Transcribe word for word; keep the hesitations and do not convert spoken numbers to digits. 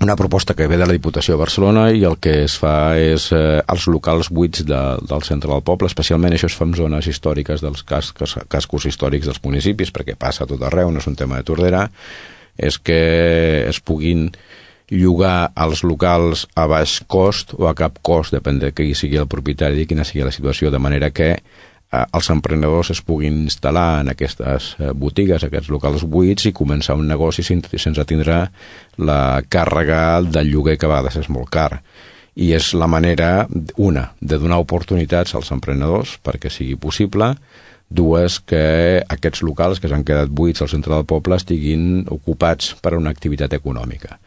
una proposta que ve de la Diputació de Barcelona i el que es fa és eh, els locals buits de, del centre del poble, especialment això es fa en zones històriques dels cascos, cascos històrics dels municipis, perquè passa a tot arreu, no és un tema de Tordera, és que es puguin llogar els locals a baix cost o a cap cost, depèn de qui sigui el propietari i quina sigui la situació, de manera que eh, els emprenedors es puguin instal·lar en aquestes eh, botigues, aquests locals buits i començar un negoci sense, sense tindre la càrrega del lloguer, que a vegades és molt car. I és la manera, una, de donar oportunitats als emprenedors perquè sigui possible, dues, que aquests locals que s'han quedat buits al centre del poble estiguin ocupats per a una activitat econòmica.